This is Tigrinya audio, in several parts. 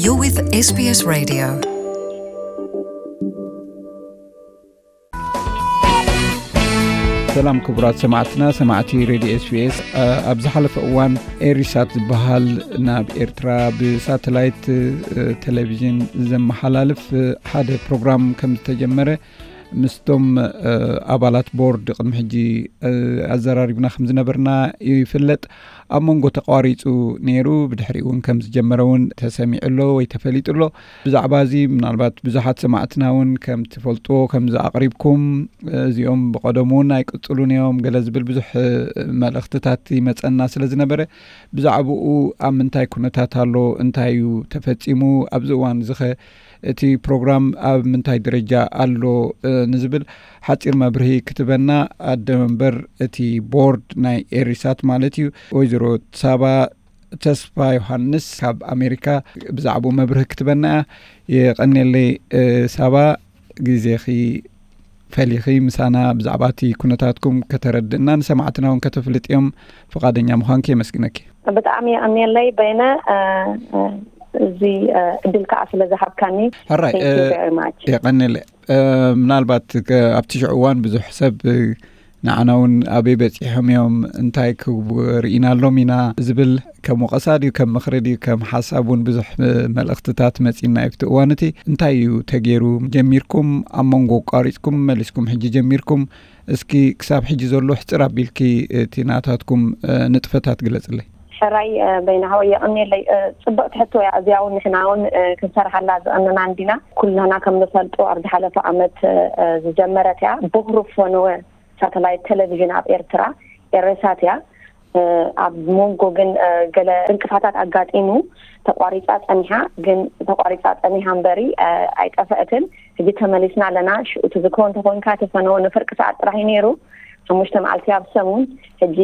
You're with S B S Radio. ሰላም ክቡራት ሰማዕትና፣ ሰማዕቲ ሬድዮ ኤስቢኤስ። ኣብ ዝሓለፈ እዋን ኤሪሳት ዝበሃል ናብ ኤርትራ ብሳተላይት ቴሌቪዥን ዘመሓላልፍ ሓደ ፕሮግራም ከም ዝተጀመረ ምስቶም ኣባላት ቦርድ ቅድሚ ሕጂ ኣዘራሪብና ከም ዝነበርና ይፍለጥ። ኣብ መንጎ ተቋሪጹ ነይሩ፣ ብድሕሪ እውን ከም ዝጀመረ እውን ተሰሚዑ ኣሎ ወይ ተፈሊጡ ኣሎ። ብዛዕባ እዚ ምናልባት ብዙሓት ሰማዕትና እውን ከም ትፈልጥዎ ከም ዝኣቕሪብኩም፣ እዚኦም ብቐደሙ እውን ኣይቅጽሉን እዮም ገለ ዝብል ብዙሕ መልእኽትታት ይመጸና ስለ ዝነበረ፣ ብዛዕባኡ ኣብ ምንታይ ኩነታት ኣሎ፣ እንታይ እዩ ተፈጺሙ፣ ኣብዚ እዋን እዚ ኸ እቲ ፕሮግራም ኣብ ምንታይ ደረጃ ኣሎ ንዝብል ሓጺር መብርሂ ክትበና ኣደ መንበር እቲ ቦርድ ናይ ኤሪሳት ማለት እዩ፣ ወይዘሮ ሳባ ተስፋ ዮሃንስ ካብ ኣሜሪካ ብዛዕባኡ መብርሂ ክትበና እያ። የቐንየለይ ሳባ፣ ግዜኺ ፈሊኺ ምሳና ብዛዕባ እቲ ኩነታትኩም ከተረድእና ንሰማዕትና እውን ከተፍልጥዮም ፍቓደኛ ምዃንኪ የመስግነኪ። ብጣዕሚ የቐንየለይ በይነ፣ እዚ እድል ከዓ ስለ ዝሃብካኒ። ሕራይ የቐንየለይ። ምናልባት ኣብቲ ሽዑ እዋን ብዙሕ ሰብ ንዓና እውን ኣበይ በፂሖም እዮም፣ እንታይ ክሪኢናሎም ኢና ዝብል ከም ወቐሳ ድዩ ከም ምኽሪ ድዩ ከም ሓሳብ እውን ብዙሕ መልእኽትታት መፂና እዩ ኣብቲ እዋን እቲ። እንታይ እዩ ተገይሩ? ጀሚርኩም ኣብ መንጎ ኣቋሪፅኩም መሊስኩም ሕጂ ጀሚርኩም፣ እስኪ ክሳብ ሕጂ ዘሎ ሕፅር ኣቢልኪ እቲ ናታትኩም ንጥፈታት ግለፅለይ። ሕራይ በይናሃወ የቐንየለይ። ፅብቕቲ ሕቶ እያ እዚኣ እውን ንሕና እውን ክንሰርሓላ ዝቐነና እንዲና። ኩላና ከም ንፈልጦ ኣብ ዝሓለፈ ዓመት ዝጀመረት እያ። ቦኽሪ ፈነወ ሳተላይት ቴሌቪዥን ኣብ ኤርትራ ኤሬሳት እያ። ኣብ መንጎ ግን ገለ ዕንቅፋታት ኣጋጢሙ ተቋሪፃ ፀኒሓ። ግን ተቋሪፃ ፀኒሓ እምበሪ ኣይጠፈእትን። ሕጂ ተመሊስና ኣለና። ሽኡ ትዝክሮ እንተኮንካ እቲ ፈነወ ንፍርቂ ሰዓት ጥራሕ እዩ ነይሩ፣ ሓሙሽተ መዓልቲ ኣብ ሰሙን። ሕጂ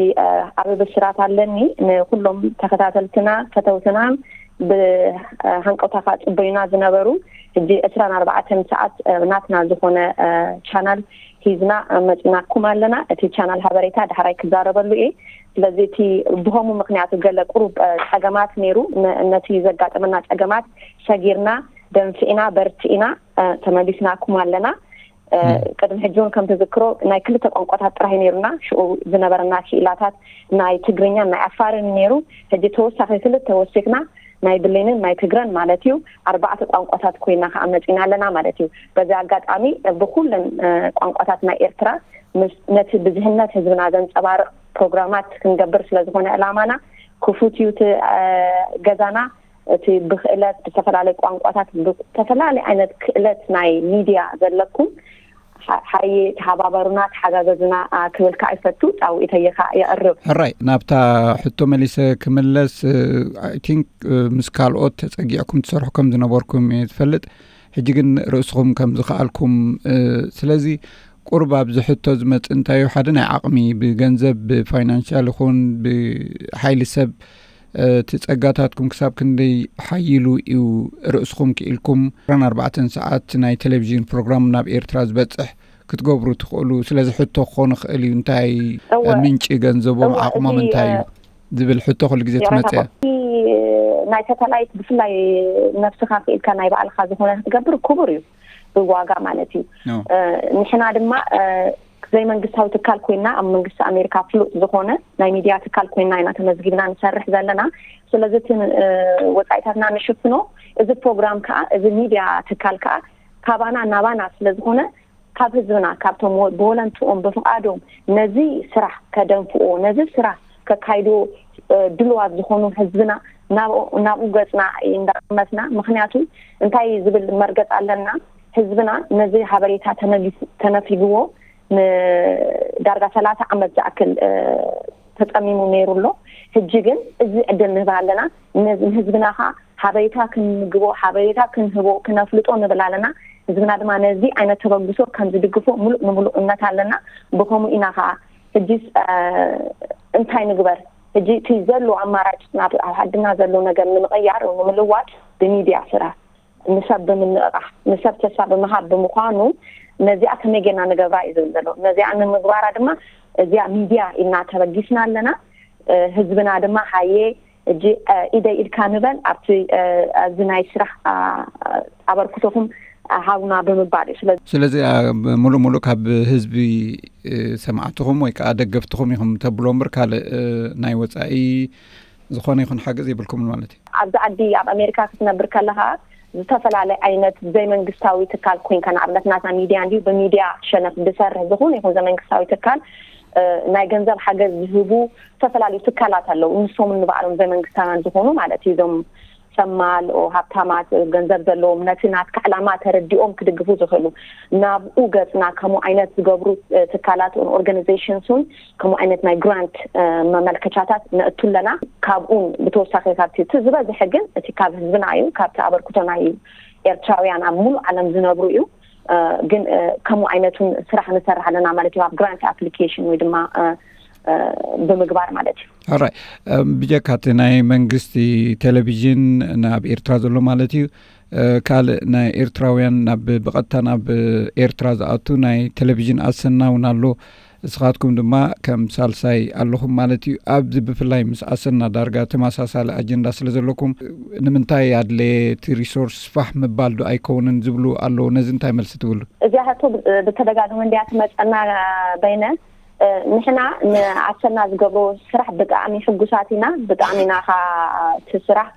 ዓቢ ብስራት ኣለኒ ንኩሎም ተኸታተልትና ፈተውትና ብሃንቀውታ ከዓ ፅበዩና ዝነበሩ። ሕጂ ዕስራን ኣርባዕተን ሰዓት ናትና ዝኾነ ቻናል ሒዝና መፂናኩም ኣለና። እቲ ቻናል ሓበሬታ ዳሕራይ ክዛረበሉ እየ። ስለዚ እቲ ብሆሙ ምክንያቱ ገለ ቁሩብ ፀገማት ነይሩ። ነቲ ዘጋጠመና ፀገማት ሰጊርና ደንፊዕና በርቲዕና ተመሊስናኩም ኣለና። ቅድሚ ሕጂ እውን ከም ትዝክሮ ናይ ክልተ ቋንቋታት ጥራይ ነይሩና። ሽኡ ዝነበረና ክኢላታት ናይ ትግርኛን ናይ ኣፋርን ነይሩ። ሕጂ ተወሳኺ ክልተ ወሲኽና ናይ ብሌንን ናይ ትግረን ማለት እዩ። ኣርባዕተ ቋንቋታት ኮይና ከዓ መፂና ኣለና ማለት እዩ። በዚ ኣጋጣሚ ብኩለን ቋንቋታት ናይ ኤርትራ ነቲ ብዝህነት ህዝብና ዘንፀባርቕ ፕሮግራማት ክንገብር ስለ ዝኾነ ዕላማና ክፉት እዩ እቲ ገዛና። እቲ ብክእለት ብዝተፈላለዩ ቋንቋታት ብዝተፈላለዩ ዓይነት ክእለት ናይ ሚድያ ዘለኩም ሓየ ተሓባበሩና ተሓጋገዙና ክብል ከዓ ይፈቱ። ፃውዒተይ ከዓ የቕርብ። ሕራይ ናብታ ሕቶ መሊሰ ክምለስ። I think ምስ ካልኦት ተፀጊዕኩም ትሰርሑ ከም ዝነበርኩም እየ ዝፈልጥ። ሕጂ ግን ርእስኹም ከም ዝኸኣልኩም፣ ስለዚ ቁሩብ ኣብዚ ሕቶ ዝመፅእ እንታይ እዩ፣ ሓደ ናይ ዓቕሚ ብገንዘብ ብፋይናንሻል ይኹን ብሓይሊ ሰብ እቲ ጸጋታትኩም ክሳብ ክንደይ ሓይሉ እዩ ርእስኹም ክኢልኩም ዕስራን ኣርባዕተን ሰዓት ናይ ቴሌቪዥን ፕሮግራም ናብ ኤርትራ ዝበጽሕ ክትገብሩ ትኽእሉ? ስለዚ ሕቶ ክኾን ይኽእል እዩ፣ እንታይ ምንጪ ገንዘቦም ዓቕሞም እንታይ እዩ ዝብል ሕቶ ኩሉ ግዜ ትመጽእ። ናይ ሳተላይት ብፍላይ ነብስኻ ክኢልካ ናይ ባዕልኻ ዝኾነ ክትገብር ክቡር እዩ፣ ብዋጋ ማለት እዩ። ንሕና ድማ ዘይመንግስታዊ ትካል ኮይና ኣብ መንግስቲ ኣሜሪካ ፍሉጥ ዝኾነ ናይ ሚድያ ትካል ኮይና ኢና ተመዝጊብና ንሰርሕ ዘለና። ስለዚ እቲ ወፃኢታትና ንሽፍኖ እዚ ፕሮግራም ከዓ እዚ ሚድያ ትካል ከዓ ካባና ናባና ስለዝኾነ ካብ ህዝብና ካብቶም ብወለንትኦም ብፍቃዶም ነዚ ስራሕ ከደንፍዎ ነዚ ስራሕ ከካይድዎ ድልዋት ዝኾኑ ህዝብና ናብኡ ገፅና እንዳመትና። ምክንያቱ እንታይ ዝብል መርገፅ ኣለና? ህዝብና ነዚ ሓበሬታ ተነፊግዎ ንዳርጋ ሰላሳ ዓመት ዝኣክል ተፀሚሙ ነይሩ ኣሎ። ሕጂ ግን እዚ ዕድል ንህብ ኣለና። ንህዝብና ከዓ ሓበሬታ ክንምግቦ ሓበሬታ ክንህቦ ክነፍልጦ ንብል ኣለና። ህዝብና ድማ ነዚ ዓይነት ተበግሶ ከም ዝድግፎ ሙሉእ ንሙሉእ እምነት ኣለና። ብከምኡ ኢና ከዓ ሕጂስ እንታይ ንግበር? ሕጂ እቲ ዘሎ ኣማራጭ ናብ ኣብ ዓድና ዘሎ ነገር ንምቕያር ንምልዋጥ ብሚድያ ስራሕ ንሰብ ብምንቕቓሕ ንሰብ ተስፋ ብምሃብ ብምዃኑ ነዚኣ ከመይ ጌርና ንገብራ እዩ ዝብል ዘሎ። ነዚኣ ንምግባራ ድማ እዚኣ ሚድያ ኢልና ተበጊስና ኣለና። ህዝብና ድማ ሃየ እጂ ኢደ ኢድካ ንበል ኣብቲ እዚ ናይ ስራሕ ኣበርክቶኹም ሃቡና ብምባል እዩ። ስለዚ ስለዚ ሙሉእ ሙሉእ ካብ ህዝቢ ሰማዕትኹም ወይ ከዓ ደገፍትኹም ኢኹም ተብሎ እምበር ካልእ ናይ ወፃኢ ዝኾነ ይኹን ሓገዝ የብልኩምን ማለት እዩ። ኣብዚ ዓዲ ኣብ ኣሜሪካ ክትነብር ከለኻ ዝተፈላለየ ዓይነት ዘይመንግስታዊ ትካል ኮይንካ፣ ንኣብነት ናትና ሚድያ እንዲዩ፣ ብሚድያ ሸነኽ ዝሰርሕ ዝኾነ ይኹን ዘይመንግስታዊ ትካል ናይ ገንዘብ ሓገዝ ዝህቡ ዝተፈላለዩ ትካላት ኣለዉ። ንሶም ንባዕሎም ዘይመንግስታውያን ዝኾኑ ማለት እዩ። እዞም ሰማል ሃብታማት ገንዘብ ዘለዎም ነቲ ናትካ ዕላማ ተረዲኦም ክድግፉ ዝኽእሉ ናብኡ ገፅና ከምኡ ዓይነት ዝገብሩ ትካላት ኦርጋናይዜሽንስ እውን ከምኡ ዓይነት ናይ ግራንት መመልከቻታት ነእቱ ኣለና። ካብኡን ብተወሳኺ ካብቲ እቲ ዝበዝሐ ግን እቲ ካብ ህዝብና እዩ፣ ካብቲ ኣበርክቶ ናይ ኤርትራውያን ኣብ ሙሉእ ዓለም ዝነብሩ እዩ። ግን ከምኡ ዓይነቱን ስራሕ ንሰርሕ ኣለና ማለት እዩ፣ ኣብ ግራንት ኣፕሊኬሽን ወይ ድማ ብምግባር ማለት እዩ። ኣራይ ብጀካ እቲ ናይ መንግስቲ ቴሌቪዥን ናብ ኤርትራ ዘሎ ማለት እዩ፣ ካልእ ናይ ኤርትራውያን ናብ ብቐጥታ ናብ ኤርትራ ዝኣቱ ናይ ቴሌቪዥን ኣሰና እውን ኣሎ። እስኻትኩም ድማ ከም ሳልሳይ ኣለኹም ማለት እዩ። ኣብዚ ብፍላይ ምስ ኣሰና ዳርጋ ተመሳሳሊ ኣጀንዳ ስለ ዘለኩም ንምንታይ ኣድለየ እቲ ሪሶርስ ፋሕ ምባል ዶ ኣይከውንን ዝብሉ ኣለዉ። ነዚ እንታይ መልሲ ትብሉ? እዚኣ ሕቶ ብተደጋጋሚ እንዲያ ትመፀና በይነ ንሕና ንኣሰና ዝገብሮ ስራሕ ብጣዕሚ ሕጉሳት ኢና። ብጣዕሚ ኢና ኻ እቲ ስራሕ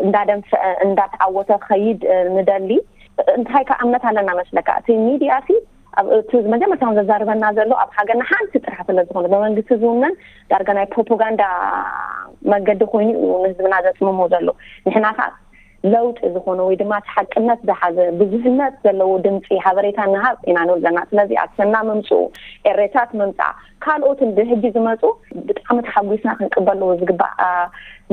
እንዳደንፈዐ እንዳተዓወተ ኸይድ ንደሊ። እንታይ ከ እምነት ኣለና መስለካ? እቲ ሚድያ ሲ እቲ መጀመርታ ዘዛርበና ዘሎ ኣብ ሃገርና ሓንቲ ጥራሕ ስለ ዝኾነ ብመንግስቲ ዝውነን ዳርጋ ናይ ፕሮፓጋንዳ መገዲ ኮይኑ እዩ ንህዝብና ዘፅምሞ ዘሎ። ንሕና ከዓ ለውጢ ዝኾነ ወይ ድማ እቲ ሓቅነት ዝሓዘ ብዙህነት ዘለዎ ድምፂ ሓበሬታ ንሃብ ኢና ንብል ዘለና። ስለዚ ኣሰና ምምፅኡ፣ ኤሬሳት ምምፃእ፣ ካልኦትን ብሕጂ ዝመፁ ብጣዕሚ ተሓጒስና ክንቅበሎ ዝግባእ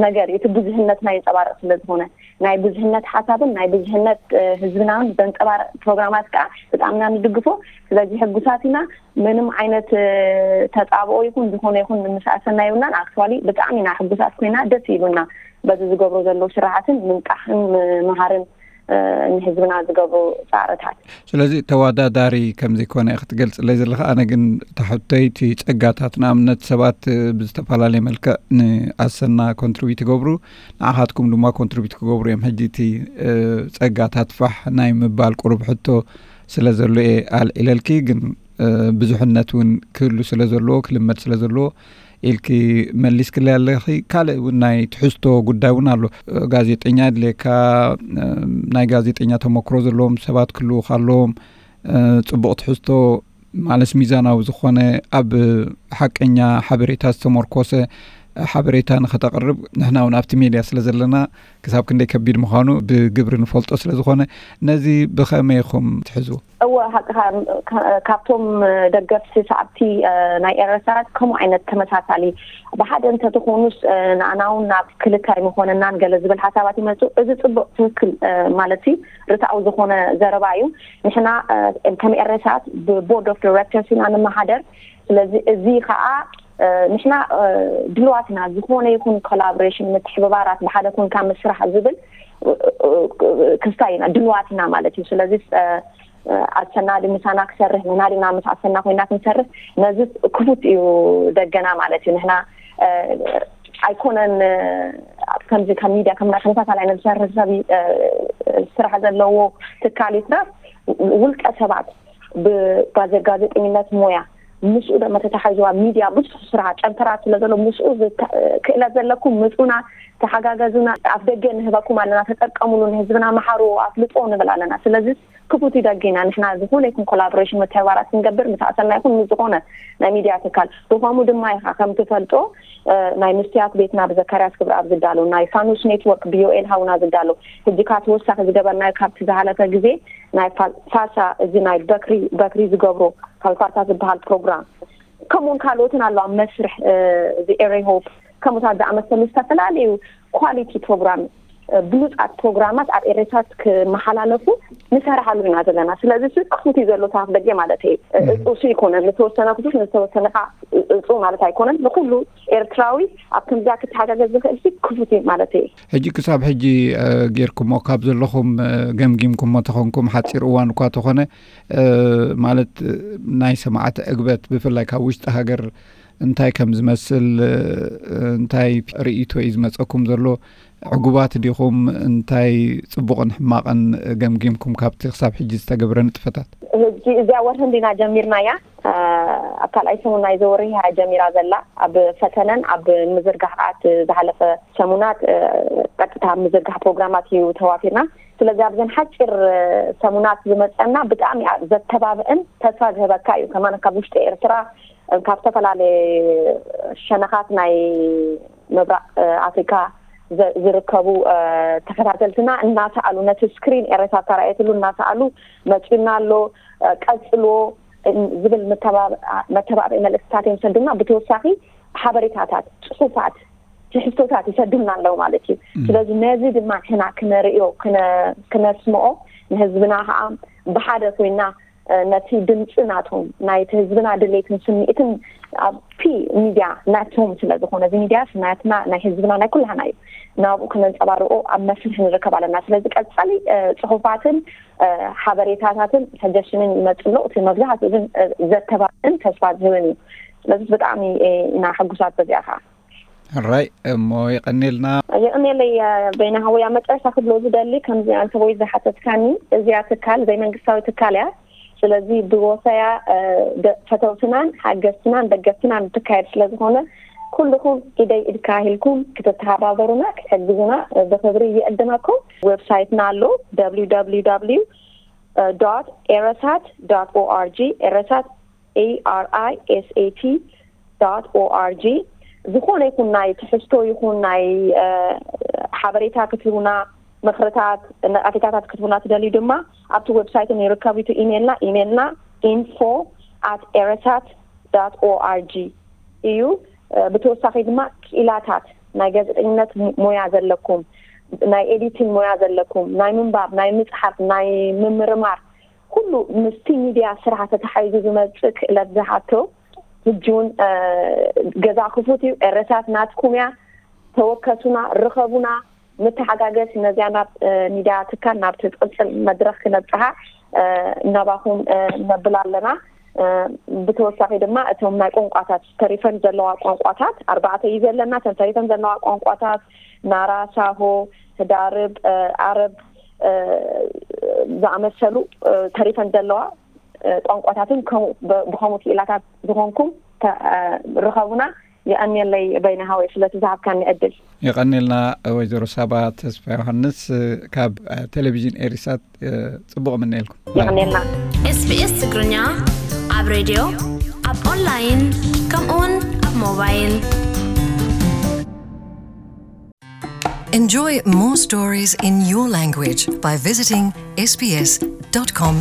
ነገር እዩ። እቲ ብዙህነትና የንፀባርቕ ስለ ዝኾነ ናይ ብዙህነት ሓሳብን ናይ ብዙህነት ህዝብናን ዘንፀባርቕ ፕሮግራማት ከዓ ብጣዕምና ንድግፎ። ስለዚ ሕጉሳት ኢና። ምንም ዓይነት ተፃብኦ ይኹን ዝኾነ ይኹን ንምስኣሰና ይብልናን። ኣክቹዋሊ ብጣዕሚ ኢና ሕጉሳት ኮይና ደስ ይብሉና በዚ ዝገብሮ ዘሎ ስራሓትን ምንቃሕን ምምሃርን ንህዝብና ዝገብሩ ፃዕርታት። ስለዚ ተወዳዳሪ ከም ዘይኮነ ክትገልፅለይ ዘለካ፣ ኣነ ግን ታሕተይቲ ፀጋታት ንኣብነት ሰባት ብዝተፈላለየ መልክዕ ንኣሰና ኮንትሪቢዩት ይገብሩ፣ ንዓኻትኩም ድማ ኮንትሪቢዩት ክገብሩ እዮም። ሕጂ እቲ ፀጋታት ፋሕ ናይ ምባል ቁሩብ ሕቶ ስለ ዘሎ እየ ኣልዒለልኪ፣ ግን ብዙሕነት እውን ክህሉ ስለ ዘለዎ ክልመድ ስለ ዘለዎ ኢልኪ መሊስክለይ ኣለኺ። ካልእ እውን ናይ ትሕዝቶ ጉዳይ እውን ኣሎ። ጋዜጠኛ ኣድልየካ፣ ናይ ጋዜጠኛ ተመክሮ ዘለዎም ሰባት ክህልዉ ኣለዎም። ፅቡቕ ትሕዝቶ ማለት ሚዛናዊ ዝኾነ ኣብ ሓቀኛ ሓበሬታ ዝተመርኮሰ ሓበሬታ ንኸተቕርብ ንሕና እውን ኣብቲ ሜድያ ስለ ዘለና ክሳብ ክንደይ ከቢድ ምዃኑ ብግብሪ ንፈልጦ ስለ ዝኾነ ነዚ ብኸመይ ኢኹም ትሕዝዎ? እወ፣ ሓቅኻ። ካብቶም ደገፍቲ ሰዓብቲ ናይ ኤረሳት ከምኡ ዓይነት ተመሳሳሊ ብሓደ እንተትኾኑስ ንኣና እውን ናብ ክልታይ ምኾነናን ገለ ዝብል ሓሳባት ይመፁ። እዚ ፅቡቕ ትክክል ማለት እዩ ርትዓዊ ዝኾነ ዘረባ እዩ። ንሕና ከም ኤረሳት ብቦርድ ኦፍ ዳይሬክተርስ ኢና ንመሓደር። ስለዚ እዚ ከዓ ንሕና ድልዋትና ዝኾነ ይኹን ኮላቦሬሽን ምትሕብባራት ብሓደ ኮንካ ምስራሕ ዝብል ክስታይ ኢና ድልዋትና ማለት እዩ። ስለዚ ኣሰና ዲ ምሳና ክሰርሕ ንሕና ዲና ምስ ኣሰና ኮይና ክንሰርሕ ነዚ ክፉት እዩ ደገና ማለት እዩ። ንሕና ኣይኮነን ከምዚ ከም ሚድያ ከምና ተመሳሳሊ ዓይነት ዝሰርሕ ሰብ ስራሕ ዘለዎ ትካል ይትረፍ ውልቀ ሰባት ብጋዜጠኝነት ሞያ ምስኡ ደሞ ተታሓይዝዋ ሚድያ ብዙሕ ስራሕ ጨንፈራት ስለ ዘሎ ምስኡ ክእለት ዘለኩም ምፁና ተሓጋገዙና። ኣፍ ደገ ንህበኩም ኣለና፣ ተጠቀሙሉ፣ ንህዝብና መሓሩ፣ ኣፍልጦ ንብል ኣለና። ስለዚ ክፉት ደገና ንሕና ዝኾነ ይኹን ኮላቦሬሽን መተባራት ክንገብር ምስ ኣሰና ይኹን ምስ ዝኾነ ናይ ሚድያ ትካል ብኸምኡ ድማ ኢኻ ከም ትፈልጦ ናይ ምስትያት ቤትና ብዘካርያስ ክብረኣብ ዝዳሎ ናይ ፋኑስ ኔትወርክ ብዮኤል ሃውና ዝዳሎ ሕጂ ካ ተወሳኺ ዝገበርናዮ ካብቲ ዝሃለፈ ግዜ ናይ ፋሳ እዚ ናይ በክሪ በክሪ ዝገብሮ ካልፋሳ ዝበሃል ፕሮግራም ከምኡውን ካልኦትን ኣሎ ኣብ መስርሕ እዚ ኤሬ ሆፕ ከምኡታት ዝኣመሰሉ ዝተፈላለዩ ኳሊቲ ፕሮግራም ብሉፃት ፕሮግራማት ኣብ ኤሬሳት ክመሓላለፉ ንሰርሓሉ ኢና ዘለና። ስለዚ ሲ ክፉት እዩ ዘሎ ታፍ ደገ ማለት እዩ። እፁ ሲ ይኮነን ንተወሰነ ክፉት ንተወሰነ ካ እፁ ማለት ኣይኮነን። ንኩሉ ኤርትራዊ ኣብ ከምዚኣ ክተሓጋገዝ ዝኽእል ሲ ክፉት እዩ ማለት እዩ። ሕጂ ክሳብ ሕጂ ጌርኩሞ ካብ ዘለኹም ገምጊምኩሞ ተኾንኩም ሓፂር እዋን እኳ ተኾነ ማለት ናይ ሰማዕቲ ዕግበት ብፍላይ ካብ ውሽጢ ሃገር እንታይ ከም ዝመስል፣ እንታይ ርእይቶ እዩ ዝመጸኩም ዘሎ? ዕጉባት ዲኹም? እንታይ ጽቡቕን ሕማቕን ገምጊምኩም ካብቲ ክሳብ ሕጂ ዝተገብረ ንጥፈታት? ሕጂ እዚኣ ወርሒ እንዲና ጀሚርናያ። ኣብ ካልኣይ ሰሙን ናይዚ ወርሒ እያ ጀሚራ ዘላ። ኣብ ፈተነን ኣብ ምዝርጋሕ ከኣ እቲ ዝሓለፈ ሰሙናት ቀጥታ ኣብ ምዝርጋሕ ፕሮግራማት እዩ ተዋፊርና። ስለዚ ኣብዘን ሓፂር ሰሙናት ዝመፀና ብጣዕሚ ዘተባብዕን ተስፋ ዝህበካ እዩ። ከማን ካብ ውሽጢ ኤርትራ፣ ካብ ዝተፈላለየ ሸነኻት ናይ ምብራቕ ኣፍሪካ ዝርከቡ ተኸታተልትና እናሰኣሉ፣ ነቲ ስክሪን ኤረሳ ተራእየትሉ እናሰኣሉ መፂና ኣሎ፣ ቀፅልዎ ዝብል መተባብዒ መልእክትታት እዮም ሰዱና። ብተወሳኺ ሓበሬታታት፣ ፅሑፋት፣ ትሕዝቶታት ይሰዱልና ኣለዉ ማለት እዩ። ስለዚ ነዚ ድማ ንሕና ክነርእዮ፣ ክነስምኦ፣ ንህዝብና ከዓ ብሓደ ኮይና ነቲ ድምፂ ናቶም፣ ናይቲ ህዝብና ድሌትን ስምዒትን ኣብቲ ሚድያ ናቶም ስለ ዝኾነ፣ እዚ ሚድያ ናትና፣ ናይ ህዝብና፣ ናይ ኩላህና እዩ። ናብኡ ክነንፀባርቆ ኣብ መስርሕ ንርከብ ኣለና። ስለዚ ቀፃሊ ፅሑፋትን ሓበሬታታትን ሰጀሽንን ይመፅሎ። እቲ መብዛሕትኡ ግን ዘተባብዕን ተስፋ ዝህብን እዩ። ስለዚ ብጣዕሚ ኢና ሕጉሳት በዚኣ ከዓ። ሕራይ እሞ ይቐኒልና። ይቕኒለይ። በይና ሃወይ ኣብ መጨረሻ ክብሎ ዝደሊ፣ ከምዚ ኣንተ ወይ ዝሓተትካኒ፣ እዚኣ ትካል ዘይመንግስታዊ ትካል እያ። ስለዚ ብወፈያ ፈተውትናን ሓገዝትናን ደገፍትናን ትካየድ ስለ ዝኾነ፣ ኩልኹም ኢደይ ኢድካ ኢልኩም ክትተሓባበሩና ክትሕግዙና ብክብሪ ይዕድመኩም። ዌብሳይትና ኣሎ፣ www ኤረሳት org። ኤረሳት arisat org። ዝኾነ ይኹን ናይ ትሕዝቶ ይኹን ናይ ሓበሬታ ክትህቡና፣ ምክርታት፣ ነቐፌታታት ክትህቡና ትደልዩ ድማ ኣብቲ ዌብሳይት ንርከብ። እቲ ኢሜልና ኢሜልና info at erisat org እዩ። ብተወሳኺ ድማ ክኢላታት፣ ናይ ጋዜጠኝነት ሞያ ዘለኩም፣ ናይ ኤዲቲንግ ሞያ ዘለኩም፣ ናይ ምንባብ፣ ናይ ምፅሓፍ፣ ናይ ምምርማር፣ ኩሉ ምስቲ ሚድያ ስራሕ ተተሓይዙ ዝመፅእ ክእለት ዝሓቶ ሕጂ እውን ገዛ ክፉት እዩ። ኤረሳት ናትኩም እያ። ተወከሱና፣ ርኸቡና። ንተሓጋገዝ። ነዚኣ ናብ ሚድያ ትካል፣ ናብቲ ዝቕፅል መድረኽ ክነብፅሓ እናባኹም ነብል ኣለና። ብተወሳኺ ድማ እቶም ናይ ቋንቋታት ተሪፈን ዘለዋ ቋንቋታት፣ ኣርባዕተ እዩ ዘለና። እተን ተሪፈን ዘለዋ ቋንቋታት ናራ፣ ሳሆ፣ ህዳርብ፣ ኣረብ ዝኣመሰሉ ተሪፈን ዘለዋ ቋንቋታትን ብኸምኡ ክኢላታት ዝኾንኩም ርኸቡና። የቐንየለይ በይነ ሃወይ ስለቲ ዝሃብካኒ ዕድል። የቐንየልና ወይዘሮ ሳባ ተስፋ ዮሃንስ ካብ ቴሌቪዥን ኤሪሳት። ጽቡቕ ምነየልኩም። የቐንየልና። SBS ትግርኛ ኣብ ሬድዮ፣ ኣብ ኦንላይን፣ ከምኡውን ኣብ ሞባይል። Enjoy more stories in your language by visiting sbs.com.au.